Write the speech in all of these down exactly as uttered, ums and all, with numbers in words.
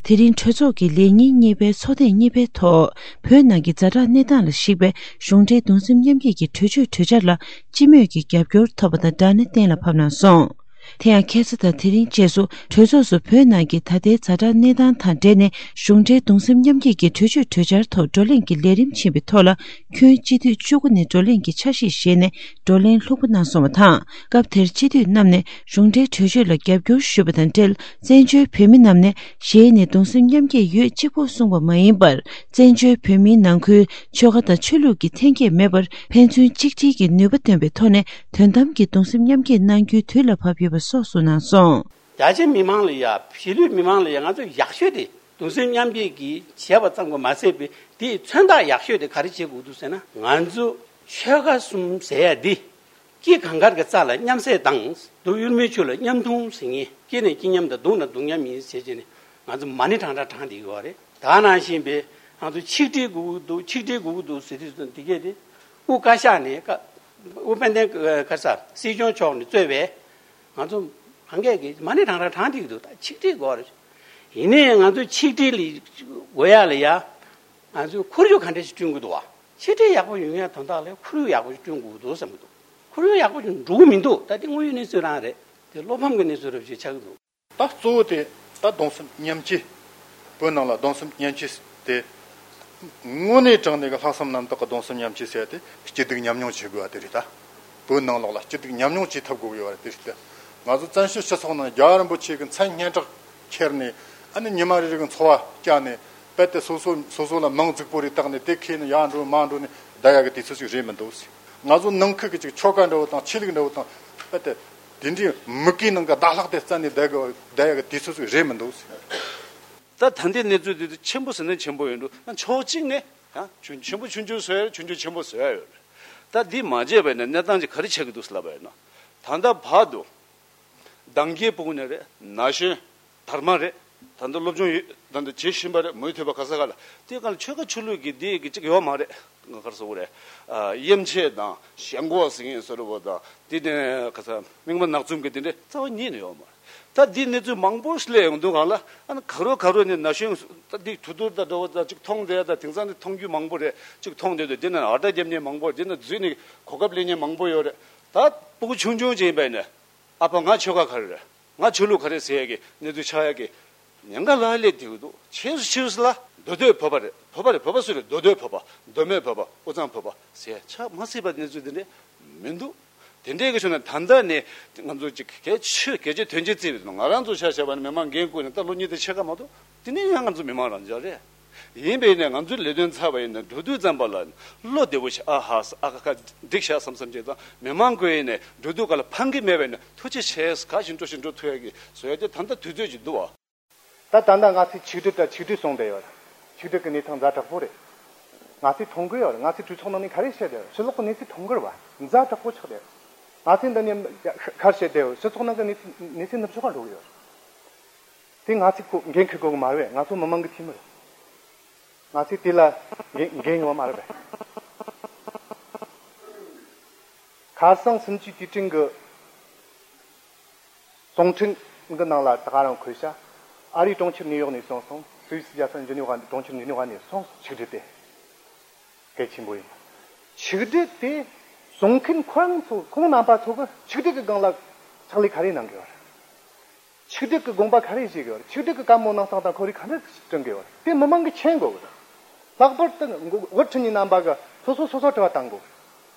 དེ་རིང་གྲོས་ཚོགས་ཀྱི་ལས་ཉིན་གཉིས་པའི་ཚོགས་ཐེངས་གཉིས་པའི་ཐོག་བོད་ནང་གི་ཛ་དྲག་གནས་སྟངས་ལ་གཞིགས་པའི་གཞུང་འབྲེལ་གདུང་སེམས་མཉམ་སྐྱེད་ཀྱི་གྲོས་ཆོད་གྲོས་འཆར་ལ་སྤྱི་མོས་ཀྱི་རྒྱབ་སྐྱོར་ཐོབ་པ་དང་སྦྲགས་ནས་གཏན་ལ་ཕབ་གནང་སོང་། དེ་ཡང་ཁ་སང་དང་དེ་རིང་བཅས་སུ་གྲོས་ཚོགས་སུ་བོད་ནང་གི་ད་ལྟའི་ཛ་དྲག་གནས་སྟངས་དང་འབྲེལ་ནས་གཞུང་འབྲེལ་གདུང་སེམས་མཉམ་སྐྱེད་ཀྱི་གྲོས་ཆོད་གྲོས་འཆར་ཐོག་བགྲོ་གླེང་གི་ལས་རིམ་ཕྱིན་པའི་ཐོག་ལ། ཁྱོན་སྤྱི་འཐུས་བཅུ་དགུ་ནས་བགྲོ་གླེང་གི་འཆར་གཞི་བཞེས་ནས་བགྲོ་གླེང་ལྷུག་པོ་གནང་སོང་བ་དང་། སྐབས་དེར་སྤྱི་འཐུས་རྣམས་ནས་གཞུང་འབྲེལ་གྲོས་ཆོད་ལ་རྒྱབ་སྐྱོར་ཞུས་པ་དང་འབྲེལ། བཙན་བྱོལ་བོད་མི་རྣམས་ནས་ཞལ་ནས་གདུང་སེམས་མཉམ་སྐྱེད་ཡོད་གཅིག་པུ་གསུངས་པ་མ་ཡིན་པར། བཙན་བྱོལ་བོད་མིའི་ནང་ཁུལ་ཆོལ་ཁ་དང་ཆོས་ལུགས་ཀྱི་འཐེན་འཁྱེར་མེད་པར་ཕན་ཚུན་གཅིག་སྒྲིལ་གྱི་ནུས་པ་འདོན་པའི་ཐོག་ནས་དོན་དམ་གྱི་གདུང་སེམས་མཉམ་སྐྱེད་གནང་རྒྱུའི་དུས་ལ་བབ་ཡོད་པ་སོགས་གསུངས་གནང་སོང་། རྒྱ་ཆེ་མི་མང་ལ་ཡ་གཞིས་ལུས་མི་མང་ལ་ཡ་ང་ཚོ་ཡག་ཤོས་དེ་གདུང་སེམས་མཉམ་སྐྱེད་ཀྱིས་བྱས་པ་ཙམ་གྱིས་མ་ཟད་པའི་དེའི་མཚོན་རྟགས་ཡག་ཤོས་དེ་ག་རེ་བྱེད་དགོས་འདུག་ཟེར་ན། ང་ཚོ་ཆོལ་ཁ་གསུམ་ཟེར་ཡ་འདི་སྐྱེ་གང་གར་གྱི་རྩ་ལ་མཉམ་བསྲེས་དང་། སྡུག་ཡུལ་མི་ཆོས་ལ་མཉམ་མཐུན་ཟེར་མཁན། སྐྱེ་ནས་སྐྱེ་མཉམ་དང་། སྡུག་ན་སྡུག་མཉམ་ཡིན་ཟེར་བྱས་ནས་ང་ཚོ་མ་ཎི་བགྲང་བགྲང་བགྲང་བསྡད་ཡོད་རེད། ད་ནང་བཞིན་པའི་ང་ཚོ་ཆིག་སྒྲིལ་དགོས་ཀྱི་འདུག་ཆིག་སྒྲིལ་དགོས་ཀྱི་འདུག་ཟེར་དུས་ཙམ་འདི་གས་དེ་དབུ་བཀའ་ཤག་ནས་བཀའ་དབུ་དཔལ་ལྡན་ག་ས་སྲིད་སྐྱོང་མཆོག་ནས་གཙོས་པའི་ང་ཚོ་གང་གས་ཀྱིས་མ་ཎི་བགྲང་བགྲང་བགྲང་བསྡད་ཀྱི་འདུག་ད་ཆིག་སྒྲིལ་དགོས་རེད། ཡིན་ནའི་ང་ཚོ་ཆིག་སྒྲིལ་ལ་དགོས་ཡ་ལ་ཡ་ང་ཚོས་ཁོར་ཡུག་ག་འདྲ་ཞིག་བསྐྲུན་དགོས་འདུག་བ། ཆིག་སྒྲིལ་ཡག་པོ་ཡོང་ཡ་དོན་དག་ལ་ཁོར་ཡུག་ཡག་པོ་ཞིག་བསྐྲུན་དགོས་འདུག་བསམ་གྱི་འདུག་ཁོར་ཡུག་ཡག་པོ་ཞིག་འགྲོ་གི་མི་འདུག་ད་དེ་དངོས་ཡོད་གནས་ཚུལ་རང་རེད། དེ་བློ་ཕམ་གྱི་གནས་ཚུལ་རབ་ཞིག་ཆགས་ཀྱི་འདུག་ད་གཙོ་བོ་དེ་ད་གདུང་སེམས་མཉམ་སྐྱེད། བོད་ནང་ལ་གདུང་སེམས་མཉམ་སྐྱེད་དེ། དངོས་གནས་དྲང་གནས་ཀྱི་ལྷག་བསམ་རྣམ་དག་གི་གདུང་སེམས་མཉམ་སྐྱེད་ཟེར་ཡ་དེ་སྐྱིད་སྡུག་མཉམ་མྱོང་བྱེད་དགོས་པ་དེ་རེད་ད། བོད་ནང་ལོགས་ལ་སྐྱིད་སྡུག་མཉམ་མྱོང་བྱེད་ཐུབ་དགོས་ཀྱི་ཡོད་པ་དེ་རེད་ད། ང་ཚོ་བཙན་བྱོལ་སྤྱི་ཚོགས་ནང་རྒྱལ་བ་རིན་པོ་ཆེ་གི་མཚན་སྙན་གྲགས་ཁྱེར་ནས། ཨ་ནི་ཉི་མ་རེ་རེ་གི་འཚོ་བ་བསྐྱལ་ནས། རྦད་དེ་སོ་སོ་སོ་སོ་ལ་མིང་རྫིག་པོ་རེ་བཏགས་ནས། དེ་ཁྱེར་ནས་ཡར་འགྲོ་མར་འགྲོ་ནས་བསྡད་ཡག་གི་དུས་ཚོད་ཅིག་རེད་མི་འདུག་ང་ཚོ་ནང་ཁུལ་གྱི་ཅིག་ཆོལ་ཁ་འདྲ་བོ་དང་ཆོས་ལུགས་འདྲ་བོ་དང་། རྦད་དེ་དེ་འདྲའི་མུ་གེའི་ནང་གི་ཟླ་ལྷག་དེ་རྩད་ནས་བསྡད་གི་བསྡད་ཡག་གི་དུས་ཚོད་ཅིག་རེད་མི་འདུག་ད་ད་ལྟའི་གནས་ཚུལ་འདི་ཚོ་ཆེན་པོ་ཟེར་ན་ཆེན་པོ་ཡོད་འགྲོ། ཕྱོགས་གཅིག་ནས་ཡང་ཆུང་ཆེན་པོ་ཆུང་ཆུང་བཟོ་ཡ་ཡོད། ཆུང་ཆུང་ཆེན་པོ་བཟོ་ཡ་ཡོད། ད་འདི་མ་བྱས་པ་ཡིན་ན་གནས་སྟངས་ཅིག་ག་རེ་ཆགས་ཀྱི་འདུག་ཟེར་ལབ་པ་ཡིན་ན། ད་ལྟ་བར་དུ་འདང་རྒྱལ་སྤུ་གུ་ནས་རེད། ན་གཞོན་དར་མ་རེད། ད་ལྟ་སློབ་སྦྱོང་ཡོད། ད་ལྟ་བྱེད་བཞིན་པ་རེད། མུ་མཐུད་པ་ག་ས་ག་ལ། དེའི་སྒང་ལ་ཆོལ་ཁ་ཆོས་ལུགས་ཀྱི་འདི་གི་ཅིག་ཡོད་མ་རེད། ང་ག་རེ་ཟེར་དགོས་རེད། ཨ། དབྱེ་འབྱེད་དང་ཞེན་ཁོག་ཟེར་མཁན་བཟོ་འདྲ་བོ་དང་། དེ་ནས་ག་ས་རྨེག་མ་ནག་འཛུམ་གྱི་དེ་འདྲ་རྩ་བ་ཉིད་ནས་ཡོད་མ་རེད། ད་འདི་གནས་ཚུལ་མང་པོ་ཞིག་སླེབས་ཡོང་དུས་སྒང་ལ། ཨ་ནི་ག་རོ་ག་རོ་ནས་ན་གཞོན་ད་འདི་དུས་དུར་དང་འདྲ་བོ་དང་ཅིག་མཐོང་བསྡད་ཡ་དང་། དེང་སང་འདི་མཐོང་རྒྱུ་མང་པོ་རེད། ཅིག་མཐོང་བསྡད་དུས་འདི་ནས་ཨ་ལྟ་རྒྱབ་མཁན་མང་པོ། འདི་ནས་འཛུལ་ནས་གོ་སྐབས་ལེན་མཁན་མང་པོ་ཡོད་རེད། ད་སྤུ་གུ་ཆུང་ཆུང་ཅིག་ཡིན་པ་ཡིན་ན། ཨ་ཕ་ང་ཆོལ་ཁ་ག་རེ་རེད། ང་ཆོས་ལུགས་ག་རེ་ཟེར་ཡ་གི་གནས་ཚུལ་ཆགས་ཡ་གི་ཉེན་ཁ་ལ་སླེབས་བསྡད་ཀྱི་འདུག་ཕྱིས་སུ་ཕྱིས་སུ་ལ་མདོ་སྟོད་བོད་པ་རེད། བོད་པ་རེད། བོད་པ་སུ་རེད། མདོ་སྟོད་བོད་པ། མདོ་སྨད་བོད་པ། དབུས་གཙང་བོད་པ་ཟེར་ཡ་ཆགས་མ་སྲིད་པ་གནས་ཚུལ་དེ་འདྲ་མི་འདུག་དེ་འདྲའི་གི་ཕྱོགས་ནས་ད་ལྟ་ནས་ང་ཚོ་ཅིག་གལ་ཆེ་གལ་ཆེ་དོན་ཆེ་བརྩིས་པ་ཡིན་ན། ང་རང་ཚོ་ཆ་བཞག་པ་ན་མི་མང་འགན་བསྐུར་ནས་ད་ལོ་གཉིས་དང་ཕྱེད་ཀ་མ་གཏོགས་དེ་ནས་ཡང་ང་ཚོ་མི་མང་རང་འཇགས་རེད། ཡིན་པས་ནས་ང་ཚོའི་ལས་དོན་ཚར་བ་ཡིན་ན་འགྲོ་དུས་ཙམ་པ་ལ་བློ་བདེ་བོ་བྱས། ཨ་ཧ་ས་ཨ་ཁ་ཁ་འགྲིག་ཤག་བསམ་བསམ་བྱས་ཙང་། མི་མང་ཁོ་ཡིན་ནས་འགྲོ་དུས་ག་ལ་ཕངས་ཀྱི་མེད་པས་ནས་ཐུགས་རྗེ་ཆེ། ག་བཞིན་འགྲོ་བཞིན་འགྲོ་ཐུབ་ཡ་གི་བཟོ་ཡ་དེ་ད་ལྟ་དུས་ཚོད་ཅིག་འདུག་བ། ད་ད་ལྟ་ང་ཚོས་ཆིག་སྒྲིལ་དང་ཆིག་སྒྲིལ་གསུངས་བསྡད་ཡོད། ཆིག་སྒྲིལ་གྱི་གནས་སྟངས་ཛ་དྲག་པོ་རེད། ང་ཚོས་མཐོང་གི་ཡོད་རེད། ང་ཚོས་གྲོས་ཚོགས་ནང་ནས་ག་རེ་བཤད་བསྡད་ཡོད། ཕྱི་ལོགས་ཀྱི་གནས་ཚུལ་མཐོང་གི་རེད་བ། ཛ་དྲག་པོ་ཆགས་བསྡད་ཡོད། ང་ཚོས་འདི་ནས་ག་རེ་བཤད་བསྡད་ཡོད། སྤྱི་ཚོགས་ནང་གི་གནས་ཚུལ་གནས་ཚུལ་ནུབ་ཕྱོགས་ལ་འགྲོ་གི་ཡོད་རེད། དེ་ང་ཚོས་ཁོ་འགན་འཁུར་དགོས་གི་མ་རེད་པས། ང་ཚོ་མི་མང་གི་འཐུས་མི་རེད། ང་ཚོས་དེ་ལ་འགན་འགན་ཡོད་མ་རེད་པས། ཁ་སང་སུམ་ཅུའི་དུས་དྲན་གྱི་གསུང་འཕྲིན་གྱི་ནང་ལ་ད་ག་རང་འཁོད་ཤག་ཨ་རིའི་གྲོང་ཁྱེར་ནིའུ་ཡོག་ནས་སོང་སོང་། སུད་སི་རྒྱལ་ས་ཇི་ནི་ཝ། གྲོང་ཁྱེར་ཇི་ནི་ཝ་ནས་སོང་། ཆིག་སྒྲིལ་དེ་གལ་ཆེན་པོ་ཡིན། ཆིག་སྒྲིལ་དེ་གསུང་མཁན་ཁོ་རང་ཚོ། ཁོང་རྣམ་པ་ཚོ་གི་ཆིག་སྒྲིལ་གྱི་སྒང་ལ་ཕྱག་ལས་ག་རེ་གནང་གི་ཡོད་རེད། ཆིག་སྒྲིལ་གྱི་དགོངས་པ་ག་རེ་བཞེས་ཀྱི་ཡོད་རེད། ཆིག་སྒྲིལ་གྱི་བཀའ་མོལ་གནང་སྟངས་དང་ཁོ་རེ་ག་འདྲ་བསྐྲུན་གྱི་ཡོད་རེད། དེ་མི་མང་གིས་མཁྱེན་དགོས་ཀྱི་རེད། ལྷག་པར་དུ་འགོ་དབུ་ཁྲིད་གཉིས་རྣམ་པ་གིས་སོ་སོ་སོ་སོར་དྲི་བ་བཏང་དགོས་ཀྱི་རེད།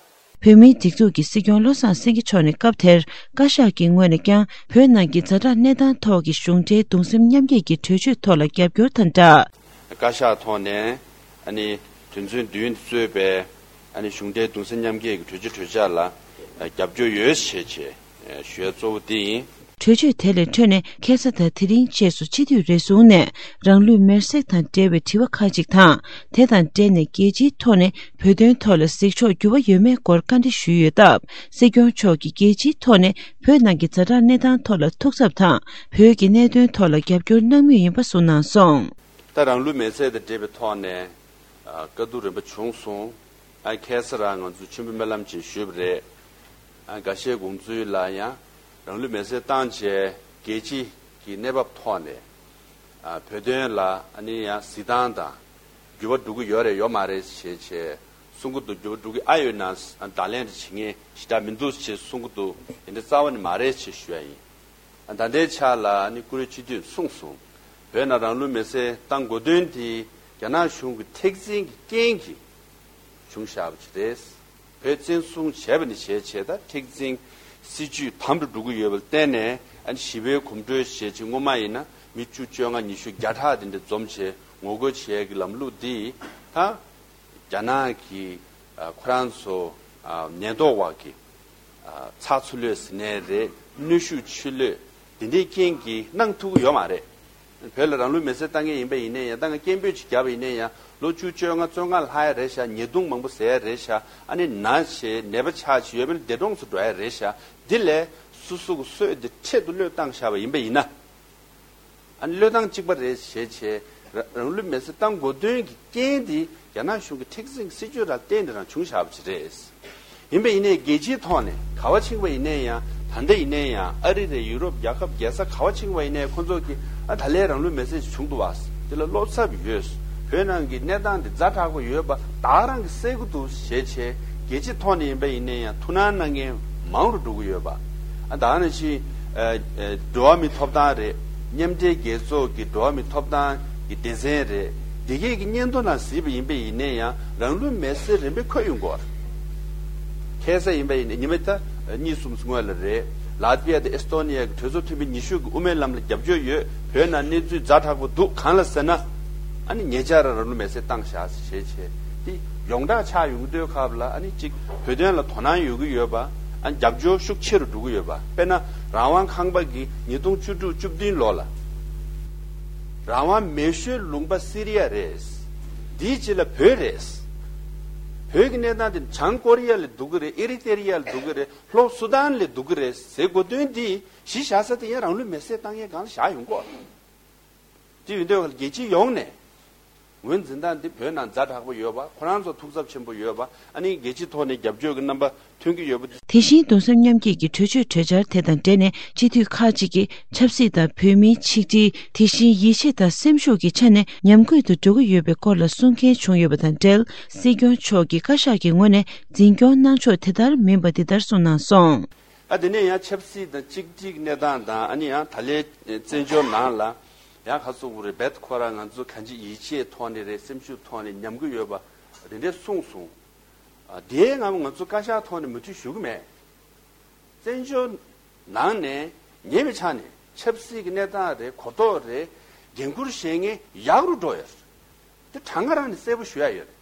བོད་མིའི་སྒྲིག་འཛུགས་ཀྱི་སྲིད་སྐྱོང་བློ་བཟང་སེང་གེ་མཆོག་ནས་སྐབས་དེར་བཀའ་ཤག་གི་ངོས་ནས་ཀྱང་བོད་ནང་གི་ཛ་དྲག་གནས་སྟངས་ཐོག་གི་གཞུང་འབྲེལ་གདུང་སེམས་མཉམ་སྐྱེད་ཀྱི་གྲོས་ཆོད་ཐོག་ལ་རྒྱབ་སྐྱོར་དང་སྦྲགས། བཀའ་ཤག་ཐོག་ནས་ཨ་ནི་དོན་ཚན་བདུན་གཙོས་པའི་ཨ་ནི་གཞུང་འབྲེལ་གདུང་སེམས་མཉམ་སྐྱེད་ཀྱི་གྲོས་ཆོད་གྲོས་འཆར་ལ་རྒྱབ་སྐྱོར་ཡོད་ཞེས་བྱས་ཞུ་ཡ་གཙོ་བོ་འདི་ཡིན། གྲོས་ཆོད་དེ་ལས་འཕྲོས་ནས་ཁ་ས་དང་དེ་རིང་བཅས་སུ་སྤྱི་འཐུས་རེ་ཟུང་ནས་རང་ལུས་མེར་སྲེག་དང་འབྲེལ་བའི་དྲི་བ་ཁག་ཅིག་དང་། དེ་དང་འབྲེལ་ནས་རྒྱལ་སྤྱིའི་ཐོག་ནས་བོད་དོན་ཐོག་ལ་གཟིགས་ཕྱོགས་འགྱུར་བ་ཡོད་མེད་སྐོར་བཀའ་འདྲི་ཞུས་ཡོད་སྟབས། སྲིད་སྐྱོང་མཆོག་གིས་རྒྱལ་སྤྱིའི་ཐོག་ནས་བོད་ནང་གི་ཛ་དྲག་གནས་སྟངས་ཐོག་ལ་ཐུགས་འཚབ་དང་། བོད་ཀྱི་གནད་དོན་ཐོག་ལ་རྒྱབ་སྐྱོར་གནང་མུས་ཡིན་པ་གསུངས་གནང་སོང་། ད་རང་ལུས་མེར་སྲེག་དང་འབྲེལ་བའི་ཐོག་ནས་ཨ་བཀའ་བསྡུར་རིམ་པ་བྱུང་སོང་། ཨ་ཁ་སང་རང་ང་ཚོ་མཆོད་འབུལ་སྨོན་ལམ་ཅིག་ཞུས་པ་རེད། ཨ་འགའ་ཤས་དགོངས་ཚུལ་ལ་ཡང་རང་ལུས་མེར་སྲེག་བཏང་བྱས་རྒྱལ་སྤྱི་གི་གནས་བབ་ཐོག་ནས་ ཨ། བོད་དོན་ལ་ཨ་ནི་ཡང་གཟིགས་སྟངས་དང་འགྱུར་བ་འགྲོ་གི་ཡོད་རེད་ཡོད་མ་རེད་ཞེས་བྱས་གསུང་གི་འདུག་འགྱུར་བ་འགྲོ་གི་ཨ་ཡོད་ན་བརྡ་ལན་དེ་བྱེད་མཁན་ཞེ་དྲག་མི་འདུག་ཅེས་གསུང་གི་འདུག་དེ་འདྲ་རྩ་བ་ནས་མ་རེད་ཅེས་ཞུ་ཡ་ཡིན། ཨ། ད་ལྟའི་ཆ་ལ་ཨ་ནི་བཀུར་འོས་སྤྱི་འཐུས་གསུངས་སོང་། བོད་ནང་རང་ལུས་མེར་སྲེག་བཏང་དགོས་དོན་དེ་རྒྱ་ནག་གཞུང་གི་མཁྲེགས་འཛིན་གྱི་རྐྱེན་གྱིས་བྱུང་བཞག་པ་ཅིག་རེད། བོད་བཙན་བཟུང་བྱས་པ་ནས་བྱས་བྱས་ད་མཁྲེགས་འཛིན་སྲིད་ཇུས་དམ་དུ་འགྲོ་གི་ཡོད་པ་ལ་བརྟེན་ནས་ཨ་ནི་ཞི་བའི་གོམ་བགྲོད་བྱས་ཅིག་སྔོན་མ་ཡིན་ན་མི་བཅུ་བཅོ་ལྔ་ཉི་ཤུ་བརྒྱ་ཕྲག་དེ་འདྲ་འཛོམས་བྱས་ངོ་རྒོལ་བྱས་ཀྱི་ལམ་ལུགས་འདི་ད་རྒྱ་ནག་གི་ཨ་ཁོ་རང་ཚོ་ཨ་ཉེན་རྟོག་པ་གི་ཨ་ཚགས་ཚུད་ལོས་ཟིན་ནའི་རེད། གནོན་ཤུགས་ཆེ་ལོས་དེ་འདྲའི་རྐྱེན་གྱིས་གནང་ཐུབ་ཀྱི་ཡོད་མ་རེད། བོད་ལ་རང་ལུས་མེར་སྲེག་བཏང་མཁན་ཡིན་པ་ཡིན་ནའི་ཡང་ད་ང་སྐད་འབོད་ཅིག་བརྒྱབ་པ་ཡིན་ནའི་ཡང་ལོ་བཅུ་བཅོ་ལྔ་བཅོ་ལྔ་ལྷག་ཡ་རེད་ཤག་ཉེས་རྡུང་མང་པོ་ཟ་ཡ་རེད་ཤག་ཨ་ནི་ན་ཆེ་ནད་པ་ཆགས་ཆེ་ཡོད་མེད་འདས་གྲོངས་སུ་འགྲོ་ཡ་རེད་ཤག་འདི་ལས་སོ་སོ་གི་སྲོག་འདི་འཕྲལ་དུ་བློས་བཏང་བཞག་པ་ཡིན་པ་ཡིན་ན། ཨ་ནི་བློས་བཏང་གཅིག་པ་རེད་ཞེས་བྱས་ར་རང་ལུས་མེར་སྲེག་བཏང་དགོས་དོན་གྱི་རྐྱེན་འདི་རྒྱ་ནག་གཞུང་གི་མཁྲེགས་འཛིན་གྱི་སྲིད་ཇུས་ར་བརྟེན་ནས་རང་བྱུང་བཞག་པ་ཅིག་རེད། ཡིན་པ་ཡིན་ནའི་རྒྱལ་སྤྱིའི་ཐོག་ནས་ག་བ་ཕྱིན་པ་ཡིན་ནའི་ཡང་ད་ལྟ་ཡིན་ནའི་ཡང་ཨ་རི་རེད། ཡུ་རོབ་རྒྱལ་ཁབ་རྒྱལ་ས་ག་བ་ཕྱིན་པ་ཡིན་ནའི་ཁོ་ཚོ་གིས་ཨ་ད་ལན་རང་ལུས་མེར་སྲེག་བྱུང་འདུག་བ། དེ་ལ་བློ་འཚབ་ཡོད། བོད་ནང་གི་གནས་སྟངས་འདི་ཛ་དྲག་པོ་ཡོད་པ་ད་རང་གིས་གསལ་གྱི་འདུག་ཞེས་བྱས་རྒྱལ་སྤྱིའི་ཐོག་ནས་ཡིན་པ་ཡིན་ནའི་ཡང་ཐུགས་སྣང་གནང་མཁན་མང་རུ་འགྲོ་གི་ཡོད་པ། ཨ་ད་ནང་བཞིན་ཨ་ཨ་འགྲོ་བ་མིའི་ཐོབ་ཐང་རེད། མཉམ་འབྲེལ་རྒྱལ་ཚོགས་ཀྱི་འགྲོ་བ་མིའི་ཐོབ་ཐང་གི་སྡེ་ཚན་རེད། འདི་གས་ཀྱི་སྙན་ཐོ་ནང་གཟིགས་པ་ཡིན་པ་ཡིན་ནའི་ཡང་རང་ལུས་མེར་སྲེག་རིམ་པས་འཁོད་ཡོང་གི་ཡོད་རེད། ཁ་སང་ཡིན་པ་ཡིན་ནའི་ཉི་མ་ད་གཉིས་གསུམ་སྔོན་ལ་རེད། ལ་ཏི་བི་ཡ་དང་ཨེ་སི་ཏོ་ནི་ཡ་གི་གྲོས་ཚོགས་མཐུན་པའི་ཉི་ཤུ་གི་དབུ་མའི་ལམ་ལ་རྒྱབ་སྐྱོར་ཡོད། བོད་ནང་གནས་ཚུལ་ཛ་དྲག་པོ་འདུག་གང་ལ་ཟེར་ན། ཨ་ནི་ཉེ་ཆར་རང་ལུས་མེར་སྲེག་བཏང་བཞག་ཟེར་བྱས་བྱས་དེ་ཡོངས་གྲགས་ཆགས་ཡོང་གི་འདུག་སྐབས་ལ་ཨ་ནི་གཅིག་བོད་དོན་ལ་དོ་སྣང་ཡོད་ཀྱི་ཡོད་པ། ཨ་ནི་རྒྱབ་སྐྱོར་ཤུགས་ཆེ་རུ་འགྲོ་གི་ཡོད་པ། དཔེར་ན་རང་དབང་ཁང་པ་གིས་ཉིས་སྟོང་བཅུ་དྲུག་བཅུ་བདུན་ལོ་ལ་རང་དབང་མེ་ཤོད་ལུང་པ་སི་རི་ཡ་རེད། དེའི་རྗེས་ལ་བོད་རེད། བོད་ཀྱི་གནས་སྟངས་དེ་བྱང་ཀོ་རི་ཡ་ལས་སྡུག་གི་རེད། ཨེ་རི་ཏེ་རི་ཡ་ལས་སྡུག་གི་རེད། ལྷོ་སུ་དཱན་ལས་སྡུག་གི་རེད་ཟེར་དགོས་དོན་འདི་གཞི་བཞག་ས་དེ་ཡང་རང་ལུས་མེར་སྲེག་བཏང་ཡས་སྒང་ལ་བཞག་ཡོང་གོ། དེ་ཡིན་དུས་རྒྱལ་སྤྱི་ཡོངས་ནས་ངོས་འཛིན་སྟངས་འདི་བོད་ནང་ཛ་དྲག་པོ་ཡོད་པ། ཁོ་རང་ཚོ་ཐུགས་འཚབ་ཆེན་པོ་ཡོད་པ། ཨ་ནི་རྒྱལ་སྤྱིའི་ཐོག་ནས་རྒྱབ་སྐྱོར་གྱི་རྣམ་པ་ཐོན་གྱི་ཡོད་པ། དེ་བཞིན་གདུང་སེམས་མཉམ་སྐྱེད་ཀྱི་གྲོས་ཆོད་གྲོས་འཆར་དེ་དང་འབྲེལ་ནས་སྤྱི་འཐུས་ཁག་ཅིག་གིས་ཆབ་སྲིད་དང་བོད་མིའི་ཆིག་སྒྲིལ། དེ་བཞིན་ཡིད་ཆེས་དང་སེམས་ཤུགས་ཀྱི་ཆ་ནས་ཉམས་རྒུད་དུ་འགྲོ་གི་ཡོད་པའི་སྐོར་ལ་གསུང་མཁན་བྱུང་ཡོད་པ་དང་འབྲེལ། སྲིད་སྐྱོང་མཆོག་གིས་བཀའ་ཤག་གི་ངོས་ནས་འཛིན་སྐྱོང་གནང་ཕྱོགས་དེ་ལྟར་མིན་པ་འདི་ལྟར་གསུངས་གནང་སོང་། ཨ་དེ་ནས་ཡང་ཆབ་སྲིད་དང་གཅིག་སྒྲིལ་གནས་སྟངས་དང་ཨ་ནི་ཡང་ད་ལན་བཙན་བྱོལ་ནང་ལ་ཡང་ཁ་སོ་བུ་རེ་བེད་ཁོ་རང་ང་ཚོ་གང་ཅི་ཡིད་ཆེས་ཐོག་ནས་རེད། སེམས་ཤུགས་ཐོག་ནས་ཉམས་ཀྱི་ཡོད་པ་རེ་འདྲས་གསུངས་སོང་། ཨ་དེའི་ངམ་ང་ཚོ་བཀའ་ཤག་ཐོག་ནས་མུ་མཐུད་ཞུ་གི་མེད། བཙན་བྱོལ་ནང་ནས་ཉེ་བའི་ཆ་ནས་ཆབ་སྲིད་ཀྱི་གནས་སྟངས་རེད། གོ་རྟོགས་རེད། འགན་འཁུར་བཞེས་མཁན་ཡག་རུ་འགྲོ་ཡོད་རེད། དེ་གྲངས་ཀ་རང་ནས་གསལ་པོ་ཞུ་ཡ་ཡོད་རེད།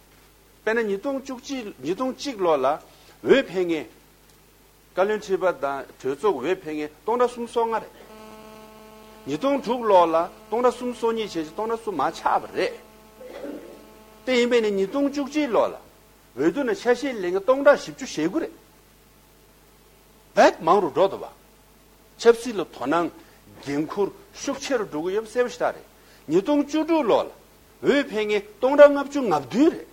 དཔེར་ན་ཉིས་སྟོང་བཅུ་གཅིག་ཉིས་སྟོང་གཅིག་ལོ་ལ་འོས་འཕེན་མཁན་བཀའ་བློན་ཁྲི་པ་དང་གྲོས་ཚོགས་འོས་འཕེན་མཁན་སྟོང་ཕྲག་གསུམ་སོ་ལྔ་རེད། ཉིས་སྟོང་དྲུག་ལོ་ལ་སྟོང་ཕྲག་གསུམ་སོ་གཉིས་བྱས་ཙང་སྟོང་ཕྲག་གསུམ་མར་ཆག་པ་རེད། དེ་ཡིན་པས་ནི་ཉིས་སྟོང་བཅུ་གཅིག་ལོ་ལ་འོས་བསྡུ་ནང་ཆ་ཤས་ལེན་མཁན་སྟོང་ཕྲག་བཞི་བཅུ་ཞེ་དགུ་རེད། བེད་མང་རུ་འགྲོ་འདུག་བ། ཆབ་སྲིད་ལ་དོ་སྣང་འགན་འཁུར་ཤུགས་ཆེ་རུ་འགྲོ་གི་ཡོད་པ་གསལ་པོ་ཞེ་དྲག་རེད། ཉིས་སྟོང་བཅུ་དྲུག་ལོ་ལ་འོས་འཕེན་མཁན་སྟོང་ཕྲག་ལྔ་བཅུ་ང་བདུན་རེད།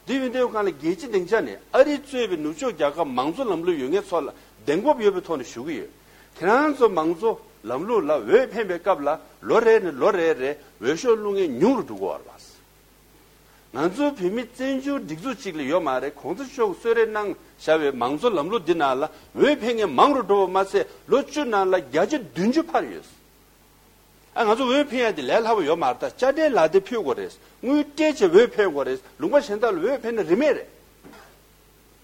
འདི་ཡིན་དུས་སྒང་ལ་རྒྱལ་སྤྱི་སྡིངས་ཆ་ནས་ཨ་རི་གཙོས་པའི་ནུབ་ཕྱོགས་རྒྱལ་ཁབ་མང་གཙོ་ལམ་ལུགས་ཡོད་མཁན་ཚོ་ལ་གདེང་སྤོབས་ཡོད་པའི་ཐོག་ནས་ཞུ་གི་ཡོད། ཁྱེད་རང་ཚོ་མང་གཙོ་ལམ་ལུགས་ལ་འོས་འཕེན་པའི་སྐབས་ལ་ལོ་རེ་ནས་ལོ་རེ་རེ་འོས་ཤོག་བླུག་མཁན་ཉུང་རུ་འགྲོ་གི་ཡོད་རེད་བ། ང་ཚོ་བོད་མི་བཙན་བྱོལ་སྒྲིག་འཛུགས་གཅིག་ལ་ཡོད་མ་རེད། གོང་ས་མཆོག་གིས་གསོལ་རས་གནང་བཞག་པའི་མང་གཙོ་ལམ་ལུགས་འདི་ནང་ལ་འོས་འཕེན་མཁན་མང་རུ་འགྲོ་བ་མ་ཟད་ལོ་བཅུ་ནང་ལ་བརྒྱ་ཆ་བདུན་ཅུ་འཕར་ཡོད། ཨ་ང་ཚོ་འོས་འཕེན་ཡ་དེ་ལས་སླ་པོ་ཡོད་མ་རེད། ད་དཔྱ་ཁྲལ་ལག་དེབ་ཕུལ་དགོས་རེད། དངུལ་སྤྲད་བྱས་འོས་འཕེན་དགོས་རེད། ལུང་པ་གཞན་དག་ལ་འོས་འཕེན་ན་རིན་མེད་རེད།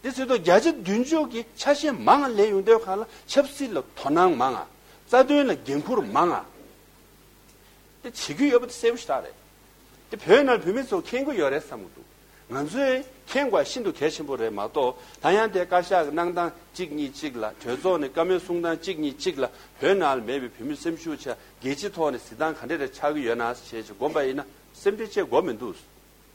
དེ་ཚོ་ད་བརྒྱ་ཆ་བདུན་ཅུ་གི་ཆ་ཤས་མང་ང་ལེན་ཡོང་དུས་སྒང་ལ་ཆབ་སྲིད་ལ་དོ་སྣང་མང་ང་། རྩ་དོན་ལ་འགན་འཁུར་མང་ང་། དེ་བྱེད་ཀྱི་ཡོད་པ་དེ་གསལ་པོ་ཞེ་དྲག་རེད། དེ་བོད་ནང་བོད་མི་ཚོ་མཁྱེན་གྱི་ཡོད་རེད་བསམ་གྱི་འདུག་ང་ཚོས་མཁྱེན་དགོས་ཤིན་ཏུ་གལ་ཆེན་པོ་རེད་མ་གཏོགས། ད་ཡང་དེ་བཀའ་ཤག་གི་གནང་སྟངས་གཅིག་གཉིས་གཅིག་ལ། གྲོས་ཚོགས་ནས་བཀའ་མོལ་གསུང་སྟངས་གཅིག་གཉིས་གཅིག་ལ་བོད་ནང་ལ་མེད་པའི་བོད་མི་སེམས་ཤུགས་ཆེ། རྒྱལ་སྤྱི་ཐོག་ནས་གཟིགས་སྟངས་ག་འདྲ་རེ་ཆགས་ཀྱི་ཡོད་ན་ཞེས་བྱས་དགོངས་པ་ཡིན་ན་སེམས་ཁྲལ་བྱེད་དགོས་མི་འདུག་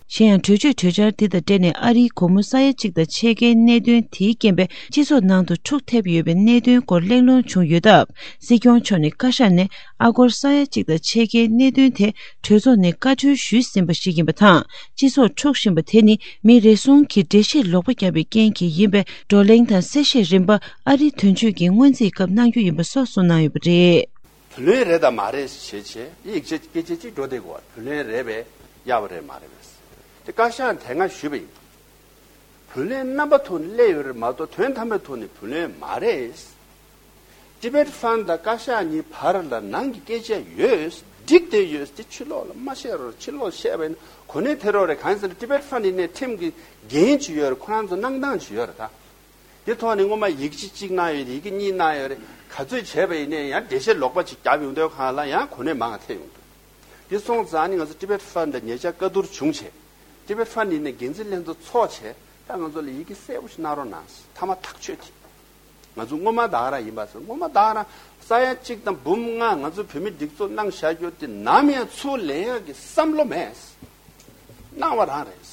གཞན་ཡང་གྲོས་ཆོད་གྲོས་འཆར་འདི་དང་འབྲེལ་ནས་ཨ་རིའི་སྒོར་མོ་ས་ཡ་གཅིག་དང་ཕྱེད་ཀའི་གནད་དོན་དེའི་རྐྱེན་པས་སྤྱི་ཚོགས་ནང་དུ་འཁྲུག་ཐེབས་ཡོད་པའི་གནད་དོན་སྐོར་གླེང་སློང་བྱུང་ཡོད་སྟབས། སྲིད་སྐྱོང་མཆོག་ནས་བཀའ་ཤག་ནས་ཨ་སྒོར་ས་ཡ་གཅིག་དང་ཕྱེད་ཀའི་གནད་དོན་དེ་གྲོས་ཚོགས་ནས་བཀའ་འཁྲོལ་ཞུས་ཟིན་པ་ཞིག་ཡིན་པ་དང་། སྤྱི་ཚོགས་འཁྲུག་བཞིན་པ་དེ་ནི་མི་རེ་ཟུང་གིས་འགྲེལ་བཤད་ལོག་པ་བརྒྱབ་པའི་རྐྱེན་གྱིས་ཡིན་པས། བགྲོ་གླེང་དང་གསལ་བཤད་རིམ་པ་ཨ་རིའི་དོན་གཅོད་ཀྱི་སྔོན་རྩིས་སྐབས་གནང་རྒྱུ་ཡིན་པ་སོགས་གསུངས་གནང་ཡོད་པ་རེད། བུ་ལོན་རེད་དང་མ་རེད་ཞེས་བྱས་ཡིག་ཆ་སྐད་ཆ་གཅིག་འགྲོ་བསྡད་དགོས་པ། བུ་ལོན་རེད་པས་ཡག་པོ་རེད་མ་རེད་པས། དེ་བཀའ་ཤག་དེ་སྔ་ཞུས་པ་ཡིན། བུ་ལོན་རྣམ་པ་ཐོག་ནས་སླེབས་ཡོད་རེད་མ་གཏོགས་དོན་དམ་པའི་ཐོག་ནས་བུ་ལོན་མ་རེད། Tibet Fund་དང་བཀའ་ཤག་གཉིས་བར་ལ་ནང་གི་སྐད་ཆ་ཡོད། འགྲིག་བསྡད་ཡོད། དེ་ཕྱི་ལོགས་ལ་མ་བཤད་རོགས། ཕྱི་ལོགས་བཤད་པ་ཡིན་ན་གོ་གནས་ཐེབས་རོགས་རེད། གང་ཡིན་ཟེར་ན་Tibet Fund་ཡིན་ནའི་ཁྲིམས་ཀྱི་འགན་ཅིག་ཡོད་རེད། ཁོ་རང་ཚོ་གནང་སྟངས་ཅིག་ཡོད་རེད་ད། དེ་ཐོག་ནས་སྔོན་མ་ཡིག་ཆ་གཅིག་གནང་ཡོད་རེད། ཡི་གེ་གཉིས་གནང་ཡོད་རེད། ག་ཚོད་བྱས་པ་ཡིན་ནའི་ཡང་འགྲེལ་བཤད་ལོག་པ་ཅིག་བརྒྱབ་ཡོང་དུས་སྒང་ལ་ཡང་གོ་གནས་མང་ང་ཐེབས་ཡོང་འདུག་དེ་སོང་ཙང་ནི་ང་ཚོ་Tibet Fund་ལ་ཉེ་ཆར་བཀའ་བསྡུར་བྱུང་བྱས། Tibet Fund་ཡིན་ནའི་འགན་འཛིན་ལྷན་ཚོགས་ཚོགས་བྱས། ད་ང་ཚོ་ལ་ཡི་གེ་གསལ་པོ་ཞིག་གནང་རོགས་གནང་། མཐའ་མ་ཐག་ཆོད་དེ། ང་ཚོ་སྔོན་མ་ད་ག་རང་ཡིན་པ་ཟེར། སྔོན་མ་ད་ག་རང་ས་ཡ་གཅིག་དང་འབུམ་ལྔ་ང་ཚོ་བོད་མི་སྒྲིག་འཛུགས་གནང་བཞག་རྒྱུ་དེ་ནམ་ཡང་ཚུར་ལེན་ཡག་གི་བསམ་བློ་མེད། གནང་བ་རང་རེད།